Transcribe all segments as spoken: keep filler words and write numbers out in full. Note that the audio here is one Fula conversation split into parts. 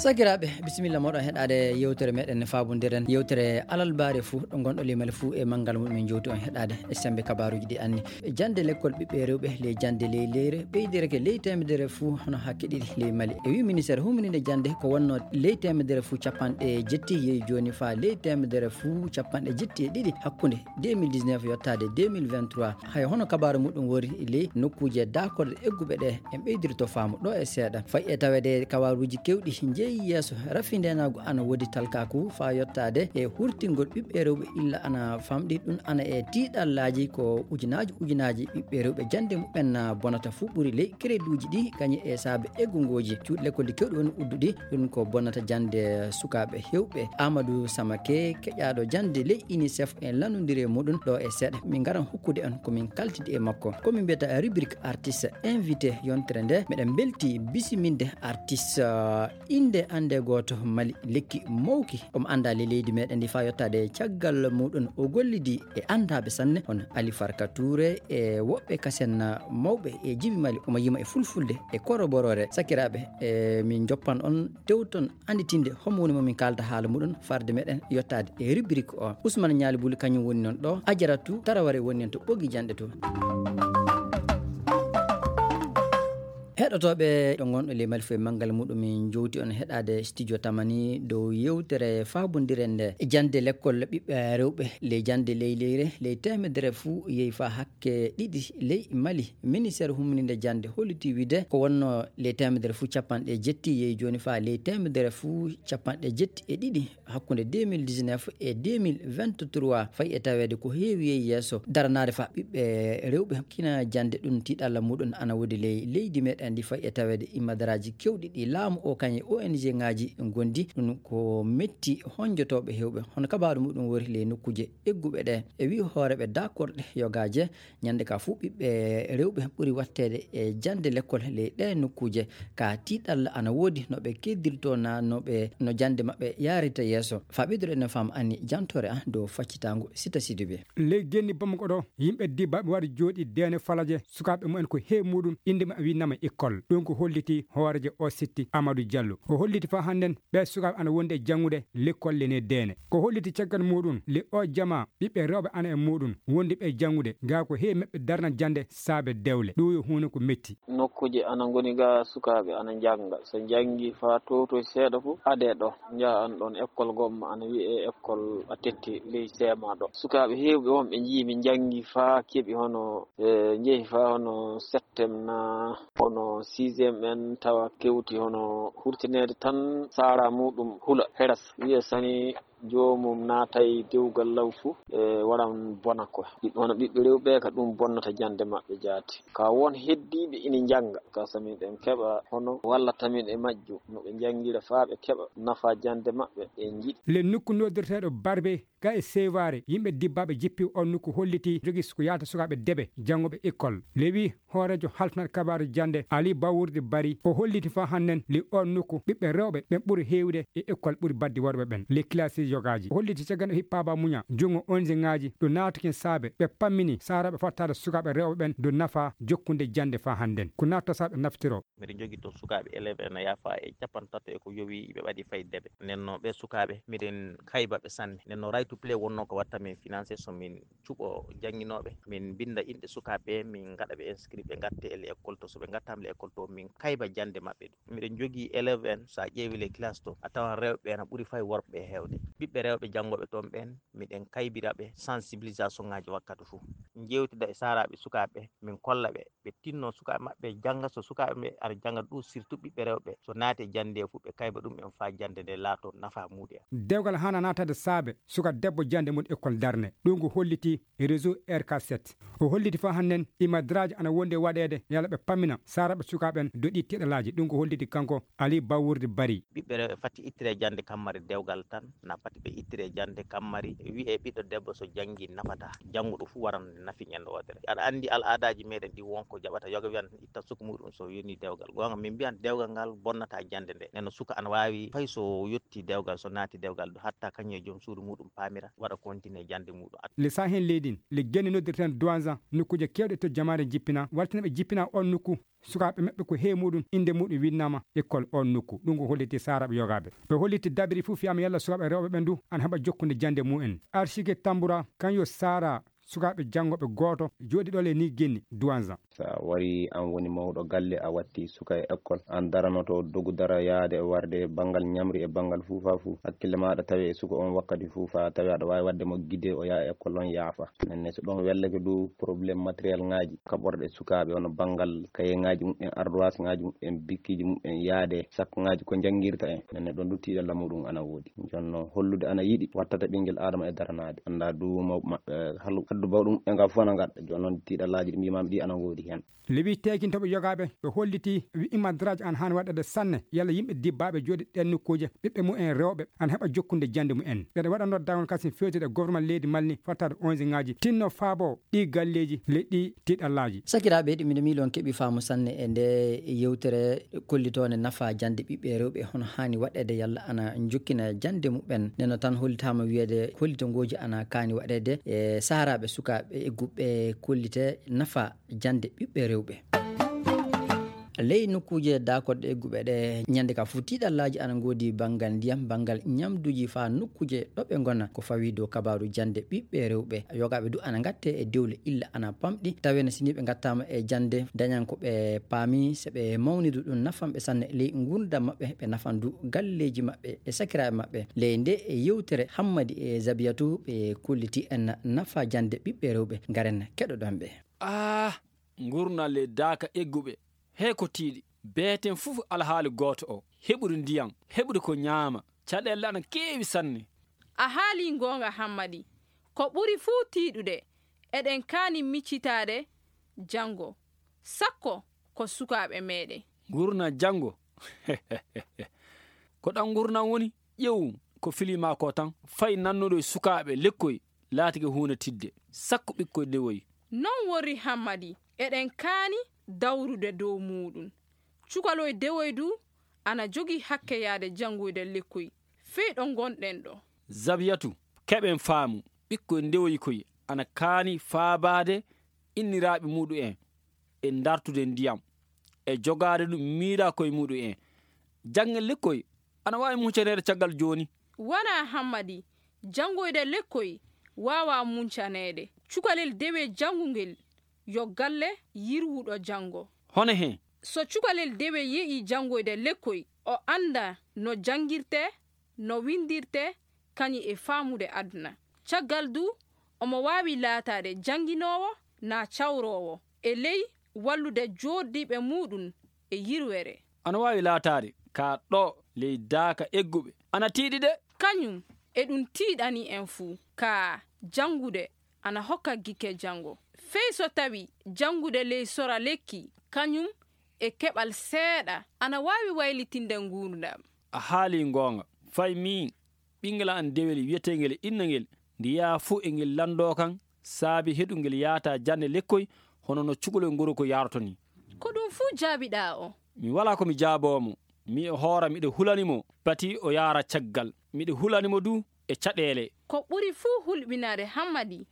Sakiraaɓe, bisimilla mooɗon heɗaade yewtere meɗen faabondiren, yewtere alalbaare fuu ɗo ngonɗo limal fuu e manngal mum. Min jowti on heɗaade e semmbe kabaaruuji ɗi anni. Jannde lekkol ɓiɓɓe rewɓe ley jannde ley leyre ɓeydirake ley teemedere fuu hono hakke ɗiɗi ley Mali. E wi ministeer humninde jannde ko wonno ley teemedere fuu capanɗe jetti yehi jooni faa ley teemedere fuu capanɗe jetti e ɗiɗi hakkunde deux mille dix-neuf yottaade deux mille vingt-trois. Hay hono kabaaru muɗum wori ley nokkuuje daakorɗe egguɓe ɗe en ɓeydirto faamu ɗo e seeɗa. Fayi e taweede kabaaruuji keewɗi njeyi yeeso, rafi ndeenaagu ana woodi talkaaku faa yottaade e hurtingol ɓiɓɓe rewɓe illa ana famɗi. Ɗum ana e tiiɗallaaji ko ujunaaji ujunaaji ɓiɓɓe rewɓe jannde muɓɓen bonata fuu ɓuri ley kereduuji ɗi kañum e saabe eggungooji cuuɗi lekkolji keewɗi woni udduɗi. Ɗum ko bonata jannde sukaaɓe heewɓe. Amadou Samake, keƴaaɗo jannde ley UNICEF, en lanndondiri e muɗum ɗo e seeɗa. Min ngaran hokkude on ko min kaltidi e makko. Ko min mbiyata rubrique artiste invité yontere nde. Meɗen mbelti bisiminde artiste, uh, innde annde gooto Mali, lekki mawki. Omo anndaa ley leydi meɗen ndi faa yottaade caggal muɗum. O gollidi e anndaaɓe sanne, hono Ali Farka Touré e woɓɓe kasen mawɓe e jibi Mali. Omo yima e fulfulde e koroboroore. Sakiraaɓe, e min njoppan on tewton annditinde homo woni mo min kaalda haala muɗum farde meɗen yottaade e rubrique o. Ousmane Ñaali Buli kañum woni noon ɗo, Ajaratu Taraware woni en to ɓoggi janɗe to. Heɗotooɓe ɗo ngonɗo ley Mali fof e manngal muɗum, min jowti on heɗaade studio Tamani dow yewtere faabondiren nde. Jannde lekkol ɓiɓɓe rewɓe ley jannde ley leyre ley teemedere fuu yehi faa hakke ɗiɗi ley Mali. Ministeer humninde jannde holliti wiide ko wonno ley teemedere fuu capanɗe jetti yehi jooni faa ley teemedere fuu capanɗe jetti e ɗiɗi hakkunde deux mille dix-neuf e deux mille vingt-trois. Fayi e taweede ko heewi yehi yeeso daranaade faa ɓiɓɓe rewɓe kina jannde. Ɗum tiiɗalla muɗum ana woodi ley leydi meɗen ndi. Fayi e taweede imadaraaji keewɗi ɗi laamu o kañum e O N G ngaaji ngondi. Ɗum ko metti honjotooɓe heewɓe. Hono kabaaru muɗum wori ley nokkuuje egguɓe ɗe. E wi hooreeɓe daakorɗe yogaaje, ñande ka fuu ɓiɓɓe rewɓe ɓuri watteede e jannde lekkol ley ɗee nokkuuje. Ka tiiɗalla ana woodi no ɓe keddirtoo naa no ɓe, no jannde maɓɓe yaarita yeeso. Faa ɓeyduɗen no faam anni jantoore an dow faccitaango Sita Sidibe. Ley genni Bamako ɗo, yimɓe dibbaaɓe wari jooɗi deene falaje sukaaɓe mumen ko heewi muɗum innde maɓɓe winnama école. Ɗum ko holliti hooreejo o sitti Amadou Diallo. O holliti faa hannden ɓee sukaaɓe ana wondi e janngude lekkol le ne deene. Ko holliti caggal muɗum le o jama ɓiɓɓe rewɓe ana e muɗum wondi ɓe janngude, gaa ko heewi maɓɓe darna jannde saabe dewle. Ɗum yo huunde ko metti. Nokkuuje ana ngoni ga sukaaɓe ana njannga. So njanngi faa towtoy seeɗa fof, adee ɗo, njaha an ɗoon école gomma ana wiyee école a tetti ley seema ɗo. Sukaaɓe heewɓe wonɓe njii mi njanngi faa keɓi hono, e, njehi faa hono septem naa hono sixième en tawa kewti hono hurtineede tan saara muɗum hula heras. Wiya sani joomum naatay dewgal law fuu, e, waran bona ko. Ɓiɓɓe hono ɓiɓɓe rewɓe ka ɗum bonnata jannde maɓɓe jaati. Ka won heddiiɓe ina njannga. Ka so miɗen keɓa hono wallata min e majjum, no ɓe njanngira faa ɓe keɓa nafa jannde maɓɓe, ɓe njiɗi. Le nokku noddirteeɗo Barbe, ga e Seware, yimɓe dibbaaɓe jippi on nokku holliti jogi ko yaata sukaaɓe debe janngooɓe école. Le wi hooreejo halfnaat kabaaru jannde Ali Bawurdi Bari, o holliti faa hannden li on nokku ɓiɓɓe rewɓe ɓen ɓuri heewde e école ɓuri baddi worɓe ɓen, les classes yogaaji. O holliti caggal o hippaaba muña junngo O N G ngaaji ɗo naatakin saabe ɓe pammini saaraaɓe fottaade sukaaɓe rewɓe ɓen dow nafa jokkunde jannde faa hannden. Ko natta saabe naftiro. Miɗen jogii toon sukaaɓe élève en a yaafa e capanɗe tato e ko yowi ɓe ɓaɗi fay debe. Nden no ɓe sukaaɓe miɗen kayba ɓe sanne. Nden no Right to Play wonnoo ko watta min financé so min cuɓo jannginooɓe, min mbinnda inɗe sukaaɓe ɓe, min ngaɗa ɓe inscrit, ɓe ngatte e l'école to. So ɓe ngattaama l'école to, min kayba jannde maɓɓe ɗum. Miɗen njogii élève en, so a ƴeewi les classe to, a tawan rewɓe ɓe na ɓuri fay worɓe ɓe heewde. Ɓiɓɓe rewɓe janngooɓe toon ɓeen, miɗen kaybira ɓe sensibilisation ngaaji wakkati fof. Njeewtida e saaraaɓe sukaaɓe, min kolla ɓe, ɓe tinno sukaaɓe maɓɓe jannga. So sukaaɓe ɓe ara jannga ɗum, surtout ɓiɓɓe rewɓe, so naati e jannde fof, ɓe kayba ɗum en faa jannde nde laato nafa muuɗi en. Dewgal haana naataade saabe suka debbo jannde mum école darne. Ɗum ko holliti réseau R K sept. O holliti faa hannden imadraaji ana wondi e waɗeede yalla ɓe pammina saaraaɓe sukaaɓe ɓen dow ɗi tiɗalaaji. Ɗum ko holliti kanko Ali Bawurdi Bari. Ɓiɓɓe rewɓe fati ittire jannde kammari dewgal tan, na Ɓe ittire jannde kammari, wi'e ɓiɗɗo debbo so janngi nafataa. Jannguɗo fuu waran nafi ñande wootere. Aɗa anndi al'aadaaji meɗen ɗi wonko jaɓata yoga wiyan itta suka muɗum so yoni dewgal. Goonga min mbiyan dewgal ngal bonnata jannde nde. Nden no suka ana waawi fay so yotti dewgal, so naati dewgal hatta kañum e joom suudu muɗum paamira, waɗa continue jannde muɗum. Le saa heen leydi ndi, le genne noddirten Douanza, nokkuuje keewɗe to jamaare jippina, wartina ɓe jippina on nokku. Sukaaɓe maɓɓe ko heewi muɗum, innde muɗum winnaama école on nokku. Ɗum ko holliti saaraaɓe yogaaɓe. Ɓe holliti dabiri fof fiyama yalla sukaaɓe rewɓe ɓen du ana heɓa jokkude jannde mumen. Archike Tambura, kan yo saara sukaaɓe janngooɓe gooto jooɗi ɗo le ni genni Douanza. Sa wari an woni mawɗo galle, a watti suka e école, an daranoto dogu dara yaade e warde e banngal ñamri e banngal fuu faa fuu. Hakkille maaɗa tawe e suka on wakkati fuu faa tawe aɗa waawi waɗde mo gide o yaha e école on yaafa. Nenne so ɗon wellake du problème matériel ŋaaji, kaɓorɗe sukaaɓe hono banngal kayeŋaaji mumen, ardoise ŋaaji mumen, bikkiiji mumen yaade, sakko ŋaaji ko njanngirta en. Nenne ɗon du tiiɗalla muɗum ana woodi. Jonno hollude ana yiɗi wattata ɓinngel Aadama e daranaade. Annda du mawɓe maɓɓe halu haddu bawɗum e nga fof ana ngadda. Jooni noon tiiɗallaaji ɗi mbiimaami ɗi ana woodi heen. Lewi teegintoɓe yogaaɓe ɓe holliti wi imadraji an han waɗede sanne yalla yimɓe dibbaaɓe jooɗi ɗen nokkuuje ɓiɓɓe mumen rewɓe an heɓa jokkude jannde mumen. Ɓeɗa waɗa noddaango kasin fewtude e gouvernement leydi Mali ni fattaade onze ŋaaji tinno faabo ɗi galleeji le ɗi tiiɗallaaji. Sakiraaɓe, ɗum miɗo miiloo on keɓi faamu sanne e nde yewtere kollitoonde nafa jannde ɓiɓɓe rewɓe, hono haani waɗeede yalla ana njokkina jannde muɓɓen. Neno tan hollitaama wiyeede kollitongooji ana kaani waɗeede e saharaaɓe sukaaɓe egguɓe kollite nafa jannde ɓiɓɓe rewɓe. Ley nokkuuje daakoɗe egguɓe ɗe, ñande ka fof tiiɗallaaji ana ngoodi banngal ndiyam, banngal ñamduuji faa nokkuuje ɗo ɓe ngona. Ko fawii dow kabaaru jannde ɓiɓɓe rewɓe, yogaaɓe du ana ngatte e dewle illa ana pamɗi, tawee no si nii ɓe ngattaama e jannde, dañan ko ɓe paami, so ɓe mawnidu ɗum nafan ɓe sanne ley nguurndam maɓɓe, ɓe nafan du galleeji maɓɓe e sakiraaɓe maɓɓe. Ley nde e yewtere Hammadi e Zabiyatu ɓe kolliti en nafa jannde ɓiɓɓe rewɓe, ngaren keɗoɗon ɓe. Ah, ngurndan ley daaka egguɓe, hee ko tiiɗi. Beeten fof alhaali gooto o, heɓude ndiyam, heɓude ko ñaama, caɗeele ana keewi sanne. A haalii ngoonga Hammadi, ko ɓuri fuu tiiɗude, eɗen kaani miccitaade janngo, sakko ko sukaaɓe meeɗen. Ngurndan janngo, ko ɗan ngurndan woni? Ƴeew ko filii maa ko tan, fay nannuɗo e sukaaɓe lekkoy laatike huunde tiiɗde, sakko ɓikkoy dewoy. Non worri Hammadi, eɗen kaani dawrude dow muuɗum. Cukaloy dewoy du ana jogii hakke yaade janngoyde lekkoy fey ɗo ngonɗen ɗo. Zabiyatu, keɓen faamu, ɓikkoy ndewoy koy ana kaani faabaade inniraaɓe muuɗum en e dartude ndiyam e jogaade ɗum miiraa koye muuɗum en. Jannge lekkoy ana waawi muncaneede caggal jooni. Wanaa Hammadi, janngoyde lekkoy waawaa muncaneede. Cukalel dewe janngungel yo galle yirwuɗo janngo. Hono hee? So cukalel dewe yehi janngoyde lekkoy, o annda no janngirtee, no winndirtee, kañum e faamude aduna. Caggal du, omo waawi laataade jannginoowo naa cawroowo, e ley wallude jooɗdiiɓe muuɗum e yirwere. Ana waawi laataade ka ɗo ley daaka egguɓe. Ana tiiɗi de. Kañum e ɗum tiiɗani en fuu. Ka janngude ana hokka gikke janngo. Fey so tawi janngude ley sora lekki, kañum e keɓal seeɗa ana waawi waylitinde nguurndam. A haalii ngoonga. Fay miin, ɓinngel an dewel wiyeteengel Inna ngel, nde yaha fuu e ngel lanndoo kan saabi heɗungel yaata jannde lekkoy hono no cukalel ngorko yaaroto ni. Ko ɗum fuu jaabiɗaa o? Mi walaa ko mi jaaboo mo. Mi e hoora miɗo hulani mo pati o yaara caggal. Miɗo hulani mo du e caɗeele. Ko ɓuri fuu hulɓinaade Hammadi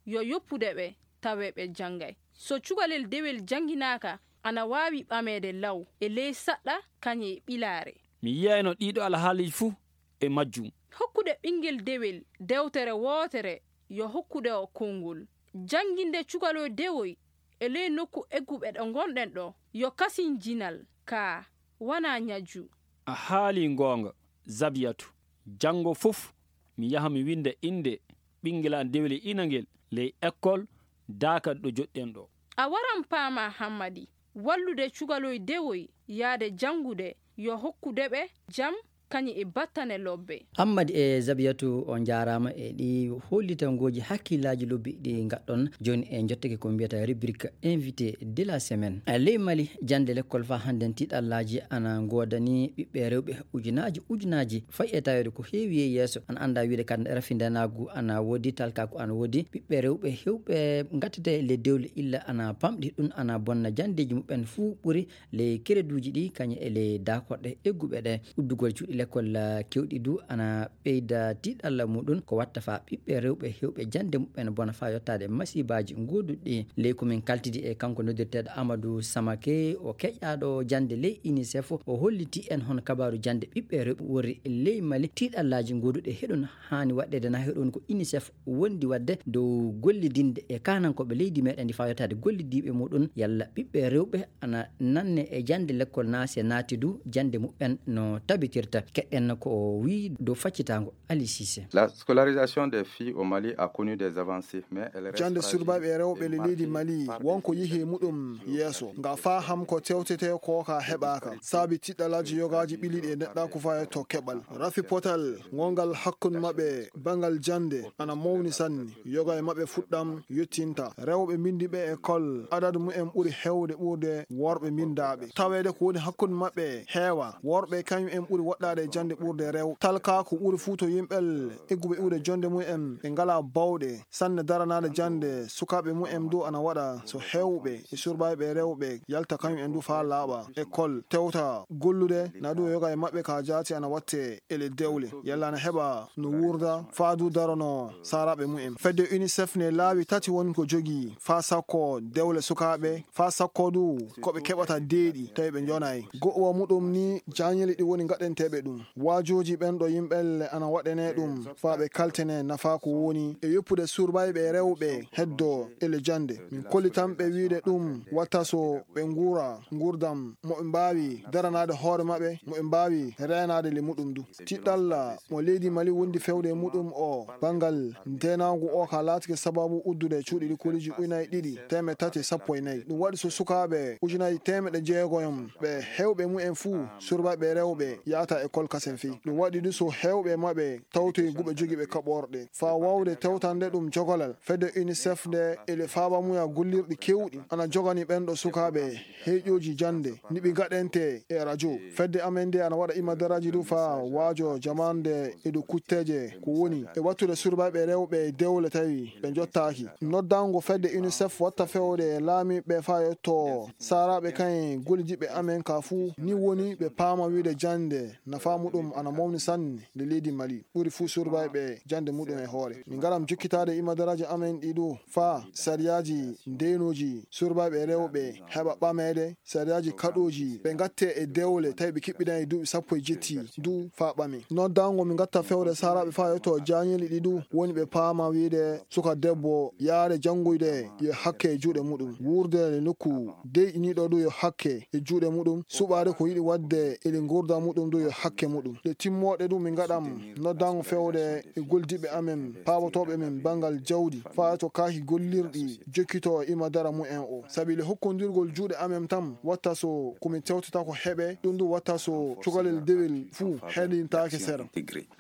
yo yoppude ɓe tawee ɓe janngay. So cukalel dewel jannginaaka, ana waawi ɓameede law e ley saɗɗa kañum e ɓilaare. Mi yiyayno ɗiiɗo alhaaliiji fuu e majjum. Hokkude ɓinngel dewel dewtere wootere yo hokkude o konngol. Jannginde cukaloy dewoy e ley nokku egguɓe ɗo ngonɗen ɗo yo kasin jinal, kaa wanaa ñajju. A haalii ngoonga, Zabiyatu. Janngo fof mi yaha mi winnda innde ɓinngel an dewel e inangel ley ekkol daaka ɗo joɗɗen ɗo. A waran paamaa Hammadi, wallude cukaloy dewoy yaade janngude yo hokkude ɓe jam kañum e battane lobbe. Ammadi e Zabiyatu, on njaaraama e ɗi hollitangooji hakkillaaji lobbi ɗi ngaɗɗon. Jooni en njottake ko mbiyata rubrique invité de la semaine. E ley Mali, jannde lekkol faa hannden tiiɗallaaji ana ngoodani ɓiɓɓe rewɓe ujunaaji ujunaaji. Fay e taweede ko heewi e yeeso, ana anndaa wiyde kadi rafindanaagu ana woodi, talkaaku ana woodi. Ɓiɓɓe rewɓe heewɓe ngattete le dewle illa ana pamɗi, ɗum ana bonna janndeeji muɓɓen fuu ɓuri ley kereduuji ɗi, kañum e ley daakorɗe egguɓe ɗe. Uddugol cuuɗi lekkol, ah, keewɗi du ana ɓeyda tiiɗalla muɗum, ko watta faa ɓiɓɓe rewɓe heewɓe jannde muɓɓen bona faa yottaade masiibaaji gooduɗi ɗi. Ley ko min kaltidi e kanko noddirteeɗo Amadou Samake, o keƴaaɗo jannde ley UNICEF, o holliti en hono kabaaru jannde ɓiɓɓe rewɓe wori ley Mali, tiiɗallaaji gooduɗi heɗon haani waɗɗeede na heɗon ko UNICEF wondi waɗde dow gollidinde e kaanankooɓe leydi meɗen ndi faa yottaade gollidiiɓe muɗum, yalla ɓiɓɓe rewɓe ana nanne e jannde lekkol naa se naati du jannde muɓɓen no tabitirta. Keɗɗen ko o wiyi dow faccitaango Ali Cissé. La scolarisation des filles au Mali a connu des avancées, mais elle reste Jannde fragile surbaaɓe e rewɓe et le leydi marquée Mali par wonko des yehi e muɗum yeeso. Nga faa ham ko tewtetee ko ka heɓaaka. Saabi tiɗɗalaaji yogaaji ɓiliiɗi e neɗɗaaku faa e to keɓal. Rafi potal ngongal hakkunde maɓɓe banngal jannde ana mawni sanne. Yoga e maɓɓe fuɗɗam yottinta. Rewɓe mbindi ɓe école, adadu mumen ɓuri heewde ɓurde worɓe mbindaaɓe. Taweede ko woni hakkunde maɓɓe heewa. Worɓe kañum en ɓuri woɗɗaade e jannde ɓurde rew. Talkaaku ɓuri fuu to yimɓel egguɓe iwde jonnde mumen ɓe ngalaa bawɗe sanne daranaade jannde sukaaɓe mumen du ana waɗa so heewɓe e surbaaɓe rewɓe yalta kañum en du faa laaɓa école, tewta gollude, na du yoga e maɓɓe ka jaati ana watte e le dewle. Yalla ana heɓa no wuurda faa du darono saaraaɓe mumen. Fedde UNICEF ne laawi tati woni ko jogii faa sakko dewle sukaaɓe, faa sakko du ko ɓe keɓata deeɗi tawi ɓe njonaay. Go'uwa muɗum ni jaañeli ɗi woni ngaɗanteeɓe ɗum. Waajooji ɓen ɗo yimɓelle ana waɗanee ɗum faa ɓe kaltene nafaa ko woni e yoppude surbayɓe rewɓe heddo e le jannde. Min kollitan ɓe wiide ɗum watta so ɓe nguura nguurdam mo ɓe mbaawi daranaade hoore maɓɓe, mo ɓe mbaawi reenaade le muɗum du. Tiɗɗalla mo leydi Mali wondi fewde e muɗum o banngal ndeenaagu o ka laatike sababu uddude cuuɗi likoliiji ujunaaji ɗiɗi teemeɗɗe tati e sappo e nayi. Ɗum waɗi so sukaaɓe ujunaaji teemeɗɗe jeegoyom ɓe heewɓe mumen fuu surbaaɓe rewɓe yahata école kasen fii. Ɗum waɗi du so heewɓe maɓɓe tawtoyi guɓe jogiiɓe kaɓorɗe. Faa waawde tewtande ɗum jogolal, fedde UNICEF nde e le faabamuya gollirɗi keewɗi ana jogani ɓen ɗo sukaaɓe heeƴooji jannde, niɓi gaɗente e radio. Fedde amen nde ana waɗa imadaraaji du faa waajo jamaande e dow kutteeje ko woni e wattude surbaaɓe rewɓe dewle tawi ɓe njottaaki. Noddango fedde UNICEF watta fewde e laamiiɓe faa yotto saaraaɓe kayen gollidiiɓe amen ka fuu, ni woni ɓe paama wiide jannde nafaa muɗum ana mawni sanne nde leydi Mali. Ɓuri fuu surbaaɓe jannde muɗum e hoore. Min ngaram jokkitaade imadaraaji amen ɗi du faa sariyaaji ndeenooji surbaaɓe rewɓe heɓa ɓameede, sariyaaji kaɗooji ɓe ngatte e dewle tawi ɓe kiɓɓidaani duuɓi sappo e jetti du faa ɓame. Noddango min ngatta fewde saaraaɓe faa yotto jaañeli ɗi du woni ɓe paama wiide suka debbo yaade janngoyde yo hakke e juuɗe muɗum. Wuurde e nokku deyɗiniiɗo du yo hakke e juuɗe muɗum. Suɓaade ko yiɗi waɗde e le nguurda muɗum du yo hakke muɗum. Ɗe timmooɗe du min ngaɗam noddango fewde e goldiiɓe amen paabotooɓe min banngal jawdi faa to kaaki gollirɗi jokkito e imadara mumen o. Sabi le hokkondirgol juuɗe amen tan watta so ko min tewtata ko heɓe, ɗum du watta so cukalel dewel fuu heɗintaake sera.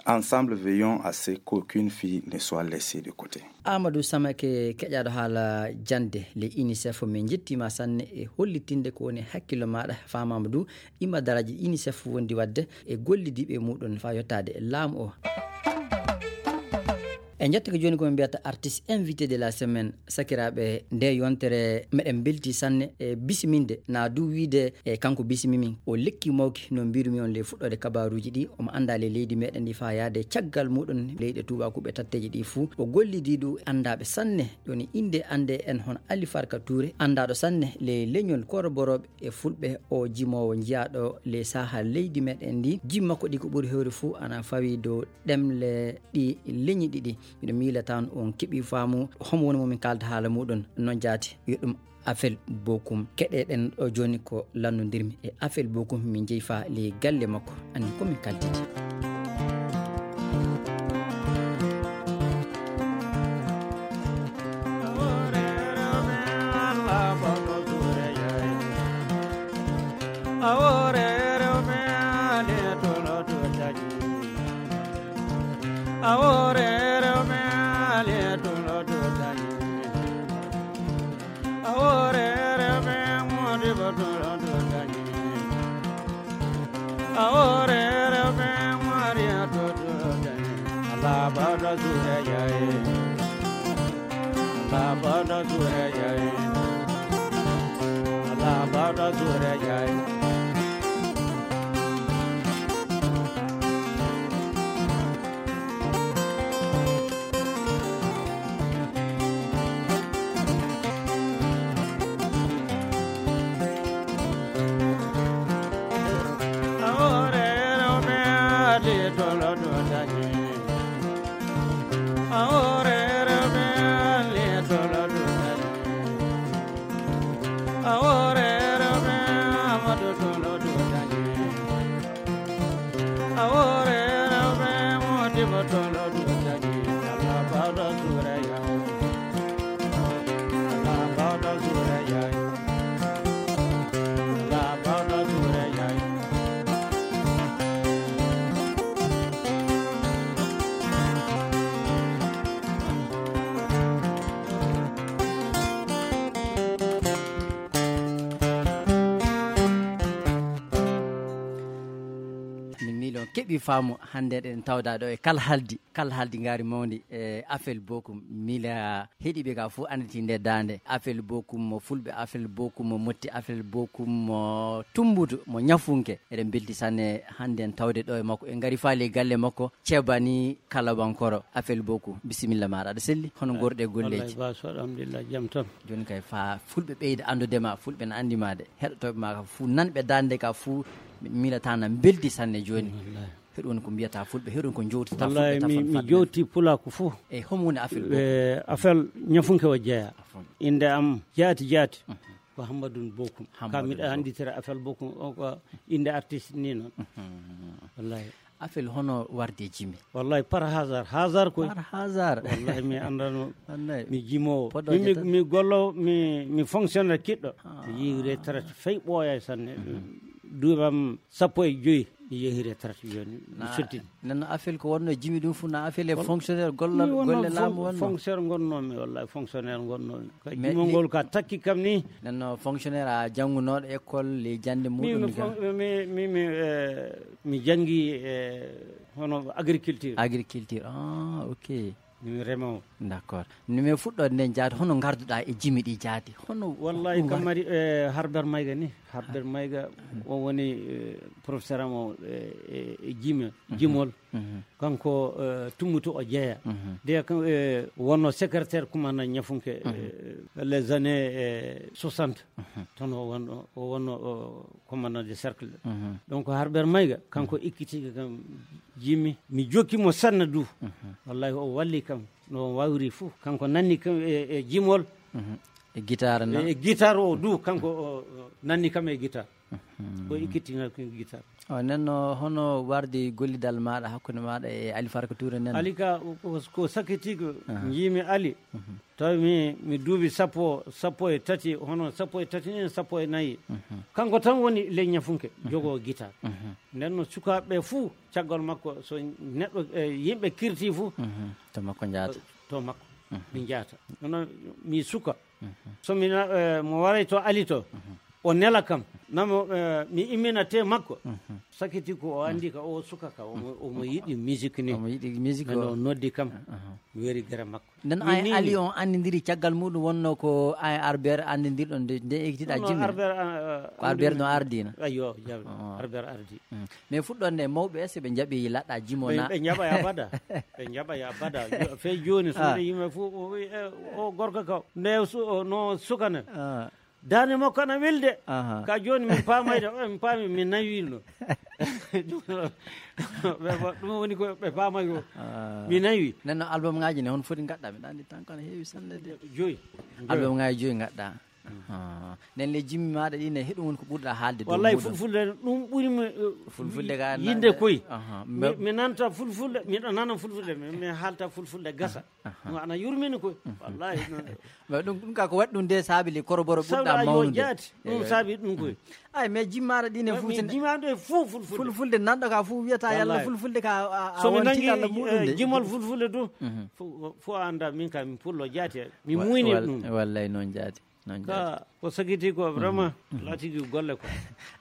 Ensemble, veillons à ce qu'aucune fille ne soit laissée de côté. Amadou Samake, keƴaaɗo haala jannde le UNICEF, min njettiima sanne e hollitinde ko woni hakkillo maaɗa. Faamaama du imadaraaji UNICEF wondi waɗde e gollidiiɓe muɗum faa yottaade e laamu o. E njetto ko jooni ko min mbiyata artiste invité de la semaine. Sakiraaɓe, nde yontere meɗen mbelti sanne e bisiminde, na du wiide e kanko bisimimi. O lekki mawki no mbirumi on le fuɗɗoode kabaaruuji ɗi, omo anndaa le leydi meɗen ndi faa yaade caggal muɗum leyɗe tuubaakuɓe tatteeji ɗi fuu. O gollidii du anndaaɓe sanne, ɗoni innde annde en hono Ali Farka Touré, anndaaɗo sanne le leñol koroborooɓe e fulɓe, o jimoowo jiyaaɗo le saha leydi meɗen ndi. Jimma ko ɗi ko ɓuri hewre fuu ana fawi dow ɗemle ɗi leñi ɗiɗi. Miɗo miila tan on keɓi faamu homo woni mo min kaalda haala muɗum. Noon jaati, yo ɗum afel bokum. Keɗeɗen ɗo jooni ko lannondirmi e afel bokum, min jeyi faa ley galle makko. Anni ko min kaltiti. Awore rewɓe ande tolo to tagi. Zure yayi. Ala bada zure yayi. Ala bada zure yayi. Awore rewɓe adi tolo dudani. Awore rewɓe adi tolo dudani. Awore rewɓe Amadu tolo dudani. Awore rewɓe Modibo tolo dudani. Ala bada zure yayi. Ala bada zure yayi. Ala bada zure yayi. Min miilon keɓi faamu hannde eɗen tawda ɗo e kala haldi kala haldi ngaari mawndi e afel bokum miila heɗiɓe ka fof annditi nde daande afel bokum mo fulɓe afel bokum mo motti afel bokum mo tumbutu mo ñafunke eɗen mbelti sanne hannde en tawde ɗo e makko en ngari faali e galle makko ceebani kalabankoro afel bokum bisimilla maɗa aɗa selli hono gorɗe golleji baso alhamdulillah jam tan. Jooni kay fa fulɓe ɓeyda anndude ma fulɓe na anndi ma de heɗotooɓe ma ka fuu nanɓe daande ka fuu miilata na mbeldi sanne jooni. Heɗon ko mbiyata fulɓe heɗon ko jowtata fulɓe wallahi mi, mi jowti pulaaku fof. E homo woni afel goo e afel ñafunke o jeeya. Afon. Innde am jaati jaati ko hammadun bokum ka Hammadun miɗa Bokum. Annditira afel bokum o ko innde artiste ni noon. Wallahi. Afel hono warde jimi. Wallahi par hasard hasard koy. Par hasard. Wallahi mi anndano. Annay. Mi jimowo Poɗɗo mi, mi, jetta. Mi gollo mi, mi fonctionnaire kiɗɗo. Mi yehi retraite fay ɓooya sanne. Duuɓam sappo e joyi mi yehi retraite jooni mi sottini. Nenno afel ko wonno jimi ɗum fof na afel e fonctionnaire gollal golle laamu wonno fonctionnaire gonnoomi wallahi fonctionnaire gonnoomi ka jimol ngol ka takki kam ni. Nenno fonctionnaire a janngunooɗo école ley jannde muɗum mi, mi, mi, mi, eh, mi janngi e hono agriculture. Agriculture ah ok. Min remowo. D'accord. No min fuɗɗoode nden jaati hono ngarduɗaa e jimi ɗi jaati hono wallahi kam mari e harber mayga ni harber mayga o woni eh, professeur am o e, e, e jime jimol kanko eh, tummuto o jeeya de kan eh, wonno secrétaire commandant ñafunke eh, les années eh, soixante toon o wonno o wonno o commandant de cercle. Donc harber mayga kanko ekkitiga kam jimi mi jokki mo sanna du wallahi o walli kam no wawri fof kanko nanni kam e, e jimol e guitare na e guitare o du kanko o, o nanni kam e guitare ko ekkittingal ko guitare. O nenno hono wardi gollidal maɗa hakkunde maɗa e ali farka toure nen ali ka ko, ko sakiti ko jimi ali tawi mi mi duubi sappo sappo e tati hono sappo e tati ni sappo e nayi kanko tan woni ley ñafunke jogo guitare. Nden no sukaaɓe fuu caggal makko so neɗɗo e yimɓe kirti fuu to makko njaata to makko mi njaata nono mi suka so mi na- eh, mo waray to ali to o nela kam namo eh, mi immina te makko sakiti ko o andi ka o suka ka omo omo yiɗi musique ni omo yiɗi musique no o noddi kam mi weri gere makko. Nden an e ali on anndindiri caggal muɗum wonno ko an e arbert anndindirɗon nde nde ekkitiɗa jimmi arbert ko arbert no ardina ayo arbert ardi. Mais fuɗɗon nde mawɓe ese ɓe jaɓi laɗɗa jimo na ɓe jaɓa ya bada ɓe jaɓa ya bada fe joni so yimɓe fof o gorko ka nde no sukana dande makko ana welde ka joni min pamayde o min paami min nawino ɓe ɗum woni ko ɓe paamay o mi nawi nenno album ngaji ne hon foti gadda mi ɗandi tan kono heewi sanne de joyi album ngaji joyi gadda nen le jimmi maɗa ɗi ne heɗum woni ko ɓurɗa haalde wallahi fulfulde ɗum ɓurimi fulfulde ga yinde koy mi nanta fulfulde miɗo nana fulfulde mi haalta fulfulde gasa ɗum ana yurmini koy wallahi ɗum ɗum ka ko waɗi ɗum nde saabi le koroboro ɓurɗa mawnude jaati ɗum saabi ɗum koy ay mais jimmaɗa ɗine fof jimaɗo e fof fulfulde fulfulde nanɗo ka fof wiyata yalla fulfulde ka somi nangi jimol fulfulde du fof anda min ka min pullo jaati mi muyni ɗum wallay noon jaati Noon ka ko sakiti ko vraiment laatigi golle ko.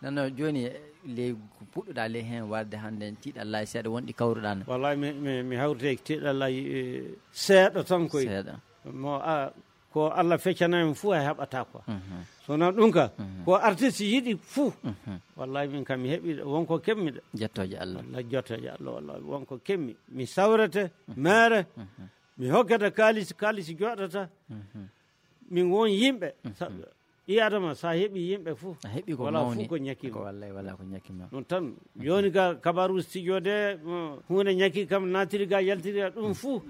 Nano jooni, ley ko puɗɗuɗaa ley heen warde hannde, tiiɗalla seeɗa wonɗi kawruɗaa na? Wallahi mi, mi, mi hawrite tiiɗalla, eh, seeɗa tan koy. Seeɗa. Mo a, ko Allah feccana en fuu a heɓata ko. So wonaa ɗum ka, ko artiste yiɗi fuu. Wallahi min kam mi heɓi wonko keɓmiɗo. Jettooje Allah. Wallahi jettooje Allah, wallahi wonko keɓmi. Mi sawrete, mere, mi hokkata kaalis, kaalis joɗata. Min won yimɓe. Sa-, ɓii Adama, sa heɓi yimɓe fuu, a heɓi ko wala mawni. Fuu ko ñakki ko ma. Wallay wala ko ñakki ma. Ɗum tan, jooni ga kabaru studio de, mo, huunde ñakki kam, naatiri ga, yaltiri ga, ɗum fuu.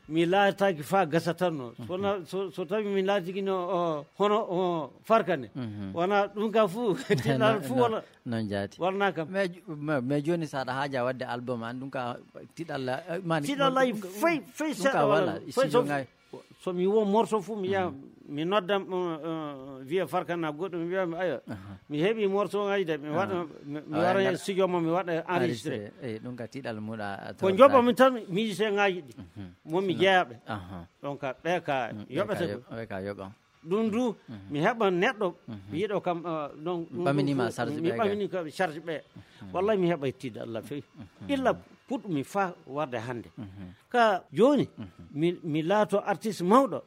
Mi laataaki faa gasa tan no. So na-, so, so tawi mi laatiki no, o, hono, o, farkane. Wona ɗum ga fuu, tiɗal fuu wala. Noon jaati. Wala kam. Mais, mais, mais jooni sa aɗa haaja waɗde album an, ɗum ka tiɗal, eh, mani, tiɗal lay ɗum ka, fay, fay ɗum seeɗa ka wala, wala, fay studio so ngaay. So mi wo morceau fuu, mi yaha, mi nodda, uh, uh, wiya Farkana goɗɗo, mi wiya, mi, ayo, mi heɓi morceau ngaji de, mi waɗa, mi, mi wara he studio mo, mi waɗa enregistré. Enregistré. Eyi, ɗum ka tiɗal muɗa, ko joɓa mi tan, musicien ngaji ɗi, mo mi jeeyaɓe. Donc, ɓe ka yoɓete ko. Ɓe ka yoɓa. Ɗum du, mi heɓa neɗɗo, yiɗo kam, uh, donc, ɗum ɓaminima charge mi ɓe ga. Ɓamini ko charge ɓe. Wallahi mi heɓa tiɗal Allah fewi. Illa puɗɗumi faa warde hannde. Ka jooni, mi, mi laato artiste mawɗo.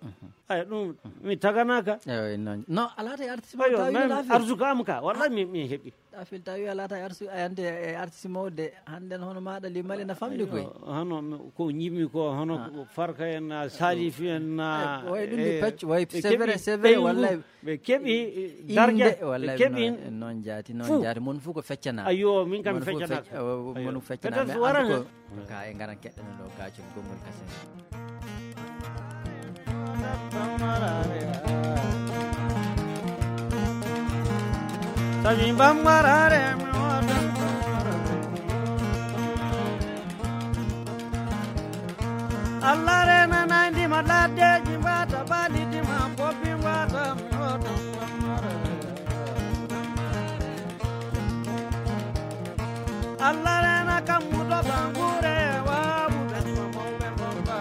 Ay, ɗum, mi taganaaka. Eyo, noon. Non, a laatay artiste mawɗo, tawi même arsuka am ka, wallahi mi, mi heɓi. A fil tawi a laatay arsu-, a yante e artiste mawde, hannden hono maaɗa li mali na famɗi koy. Ayo, hono mi, ko ñiɓmi ko, hono ko Farka en, na Salif en, na, ay, way ɗum ni e, pecc, way, ɓe c'est vrai, keɓi c'est vrai, ɓeyngu. Wallahi. Ɓe keɓi darja, ɓe keɓi noon, noon jaati, noon jaati. Mon fof ko feccana. Ayo, min kam feccana. Mon fof fecc-, eh, mon fof feccana. Peut-être mais so wara en tout cas, en ngaran keɗɗano ɗo gaacol gonngol kasen. Sabi bammarare mi waɗan. Allah rena nandi ma laddeji mbata balidi ma bobbi mbata mi hoto. Allah rena kammudo bangure wawu be ma mawbe bomba.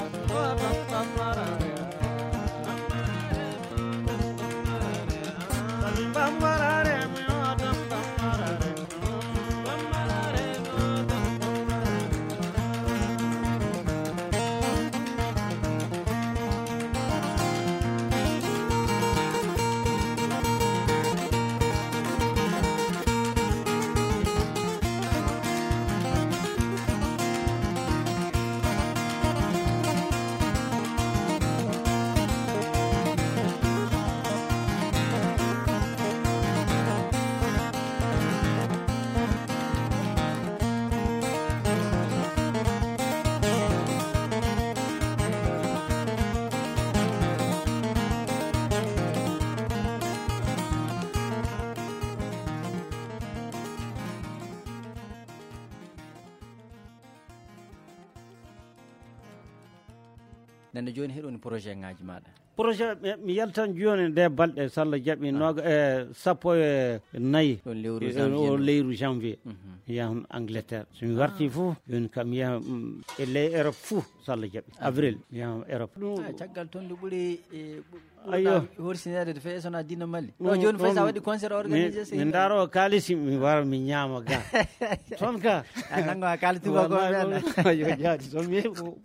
Nande jooni heɗoni projet ngaji maɗa? Projet, mi, mi yaltan jooni nde balɗe, so Allah jaɓi, noga, e sappo e nayi. Ɗon lewru janvier. O lewru janvier. Mi yahan Angleterre. So mi warti fof, jooni kam mi yaha, mm, e ley Europe fof, so Allah jaɓi. Avril, mi yahan Europe. Ɗum ah, caggal ton ndu ɓuri, e, ɓu-, ɓurɗa horsineede to feewi so wonaa diina Mali. Ɗo jooni fay so a waɗi concert organisé, min ndaaro kaalisi, mi wara, mi ñaama ga. Toon ka. A nanngo a kaali tubaako. Wallahi, ayo, jaati. So mi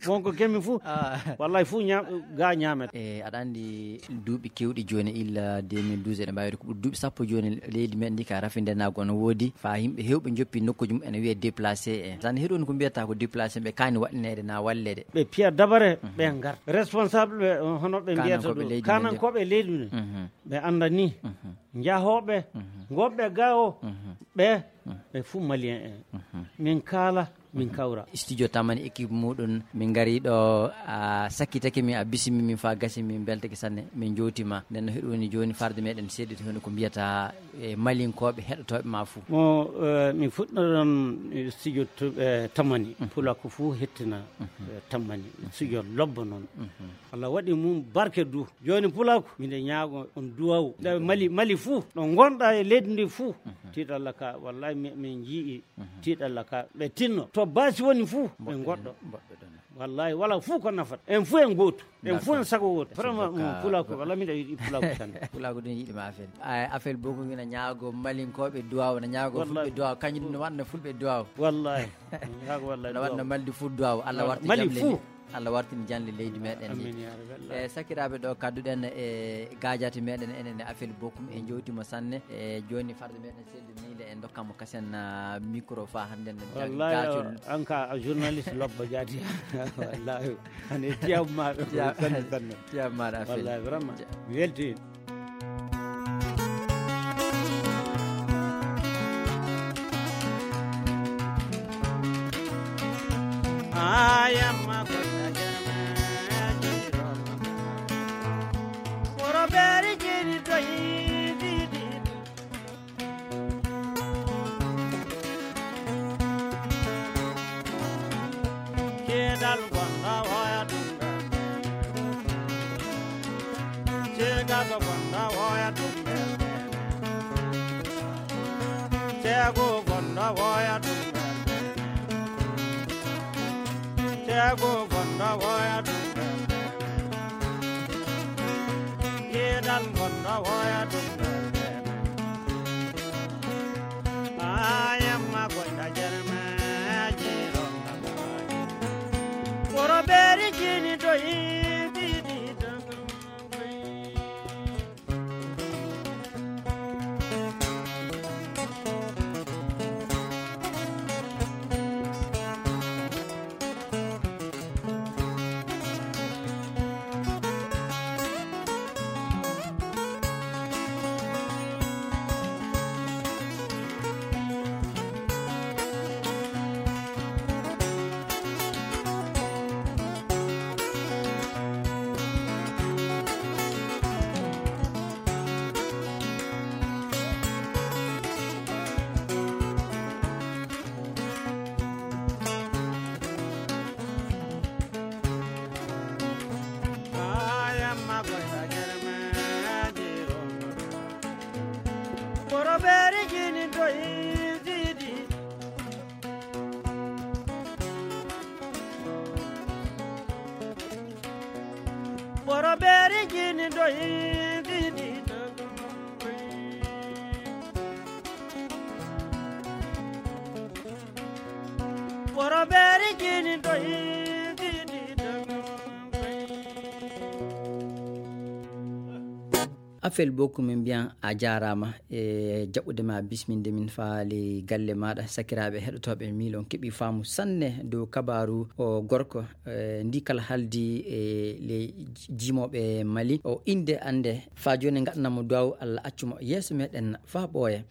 wonko kemi fof. Ah. Wallahi, fof ñaam-, ga ñaamete. E, aɗa anndi duuɓi keewɗi jooni, illa deux mille douze, eɗen mbaawi ko ɓuri duuɓi sappo jooni, leydi men ndi ka rafindenaago no woodi. Faa yimɓe heewɓe njoppi nokkuuji mum, ene wiyee déplacé en. Tan heɗon ko mbiyata ko déplacé, ɓe kaani waɗineede na walleede. Ɓe piya dabare, ɓe ngar. Responsable ɓe, hono ɓe mbiyata ɗum. Kanankooɓe leydi men. Ɓe annda ni. Njahooɓe, ngonɓe ga o, ɓe, ɓe fof Malien en. Min kaala, min kawra. Studio Tamani équipe muɗum, min ngari ɗo, a sakkitake min, a bisimi min faa gasi, min mbeltake sanne, min jowti ma. Nden no heɗo woni jooni farde meɗen seeɗi to heno ko mbiyata, e, Malinkooɓe heɗotooɓe ma fof. Mo, eh, mi fuɗɗoɗon studio to, eh, Tamani. Pulaaku fof hettina, eh, Tamani. Studio lobbo noon. Allah waɗi mum barke du. Jooni pulaaku, miɗe ñaago on duwawu. Nde Mali, Mali fuu, ɗo ngonɗa e leydi ndi fuu. Tiiɗalla ka, wallahi mi, min njii tiiɗalla ka. Ɓe tinno. To baasi woni fuu, ɓe ngoɗɗo. Mboɗɗo ɗon. Wallahi, wala fof ko nafata. En fof en gooto. En fof en sago wooto. Vraiment, pulaagu ko, wala miɗa yiɗi pulaagu tan. Pulaagu ɗum yiɗi ma affaire. Ay, affaire bokum ina ñaago malinkooɓe duwaw, na ñaago fulɓe duwaw, kañum ne waɗna fulɓe duwaw. Wallahi. Ñaago wallahi. Na waɗna maldi fu duwaw. Allah warti Mali jam leydi. Fu. Allah wartin janle leydi meɗen ndi. Amin ya rabbi. E sakiraaɓe ɗo kadduɗen e gaajati meɗen enen e affaire bokum e jowtimo sanne. E joni farde meɗen seldu ni nde en dokkamo kasen, ah, micro fa hande en. Wallahi, gacol. An ka a journaliste lobbo jaati. Wallahi. Ane tiyam maɗa. Tiyam maɗa affaire. Wallahi, vraiment. Mi welti. Keedal gonda woya ɗum ɓe. Ceegaɗo gonda woya ɗum ɓe. Ceego gonda woya ɗum ɓe. Ceego gonda woya ɗum ɓe. Keedal gonda woya ɗum ɓe. Ayamma gonda jermeji. Woro beeri jini to yiɗi ɗi to. Boro beri jini doyi didi. Boro beri jini doyi didi. Afel Boku, min mbiyan a jaaraama e jaɓɓude ma, bisminde min faa ley galle maaɗa. Sakiraaɓe heɗotooɓe, miilon keɓi faamu sanne dow kabaaru o gorko, e, ndi kala haldi e ley jimooɓe Mali. O innde annde faa jooni ngaɗanamo duwaw, Allah accu mo yeeso meɗen faa ɓooya.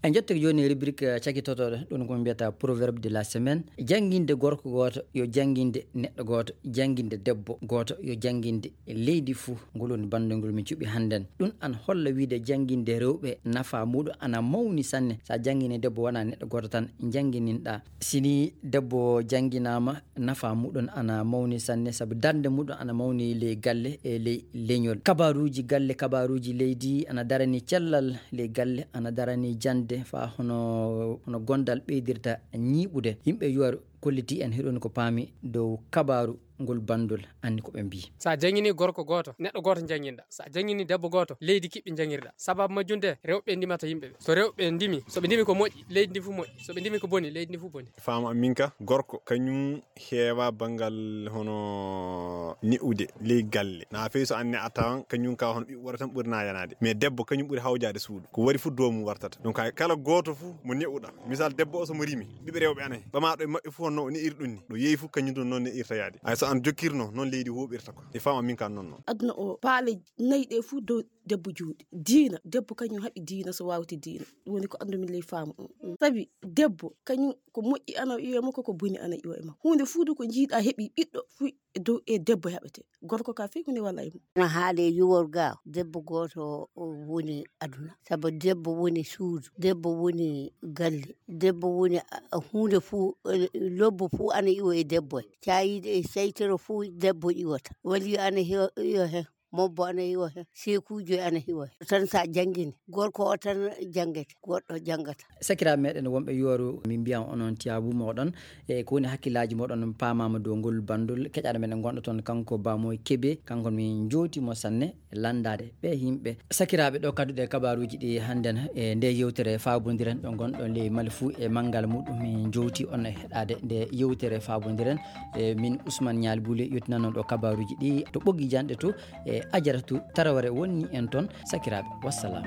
En njottake jooni rubrique cakitotooɗo, ɗum ko mbiyata proverbe de la semaine. Jannginde gorko gooto yo jannginde neɗɗo gooto, jannginde debbo gooto yo jannginde leydi fuu. Ngol woni banndol ngol min cuɓi hannden. Ɗum ana holla wiide jannginde rewɓe nafa muuɗum ana mawni sanne. So a janngini debbo wona neɗɗo gooto tan njanngininɗaa. Si ni debbo jannginaama, nafa muuɗum ana mawni sanne, sabu darnde muuɗum ana mawni ley galle e ley leñol. Kabaaruuji galle, kabaaruuji leydi ana darani cellal ley galle, ana darani jannde faa hono, hono gondal ɓeydirta ñiiɓude. Yimɓe yuwar kolliti en hiɗon ko paami dow kabaaru ngol banndol, anni ko ɓe mbii. So a janngini gorko gooto, neɗɗo gooto njannginɗa. So a janngini debbo gooto, leydi kiɓɓi njanngirɗa. Sababu majjum de, rewɓe ndimata yimɓe ɓe. So rewɓe ndimi, so ɓe ndimi ko moƴƴi, leydi ndi fof moƴƴi. So ɓe ndimi ko boni, leydi ndi fof boni. Faamu am min ka, gorko kañum heewa banngal hono ne'ude ley galle. Na feewi so an ne'ataa on, kañum ka hono ɓiɓɓe worɓe tan ɓuri na yanaade. Mais debbo kañum ɓuri hawjaade suudu. Ko wari fof dow mum wartata. Donc hay kala gooto fof mo ne'uɗaa. Misal, debbo o so mo rimi, ɓiɓɓe rewɓe ana hen. Ɓamaaɗo e maɓɓe fof no ne'iri ɗum ni. Ɗo yeeyi fof kañum ɗum noon ne'irta yaade. Hay so an jokkirno, noon leydi huuɓirta ko. E faamu am min ka noon noon. Aduna o paale nayi ɗe fof dow debbo juuɗe. Diina, debbo kañum haɓi diina so wawti diina. Ɗum woni ko anndumi ley faamu on. Mm. Sabi debbo kañum ko moƴƴi ana iwa e makko, ko boni ana iwa e makko. Huunde fuu du ko jiiɗa heɓi ɓiɗɗo fuu e dow e debbo haɓete. Gorko ka fii hunde wala e mum. No haale yuwor ga, debbo gooto o woni aduna. Sabu debbo woni suudu, debbo woni galle, debbo woni a, a huunde fuu, eh, lobbo fuu ana iwa e debbo. Caayiiɗe e seytoro fuu debbo iwata. Wali ana hiwa, iwa hen. Mobbo ana hiwa hen, seekuujo ana hiwa hen. Tan sa janngini, gorko o tan janngete, goɗɗo janngata. Sakiraaɓe meɗen wonɓe yooru, min mbiyan onon tiyaabu moɗon, e ko woni hakkillaaji moɗon paamaama dow ngol bandol. Keƴaɗo meɗen gonɗo toon, kanko Bamoy Kebe, kanko min jowti mo sanne e lanndaade ɓe yimɓe. Sakiraaɓe, ɗo kadduɗe kabaaruuji ɗi hannden e nde yewtere faabondiren ɗo gonɗon ley Mali fuu e manngal muɗum, min jowti on e heɗaade nde yewtere faabondiren. E min Ousmane Nialy Boulé yottinanno ɗo kabaaruuji ɗi to ɓoggi janɗe to e Ajaratu Taraware wonni en toon. Sakiraaɓe, wassalam.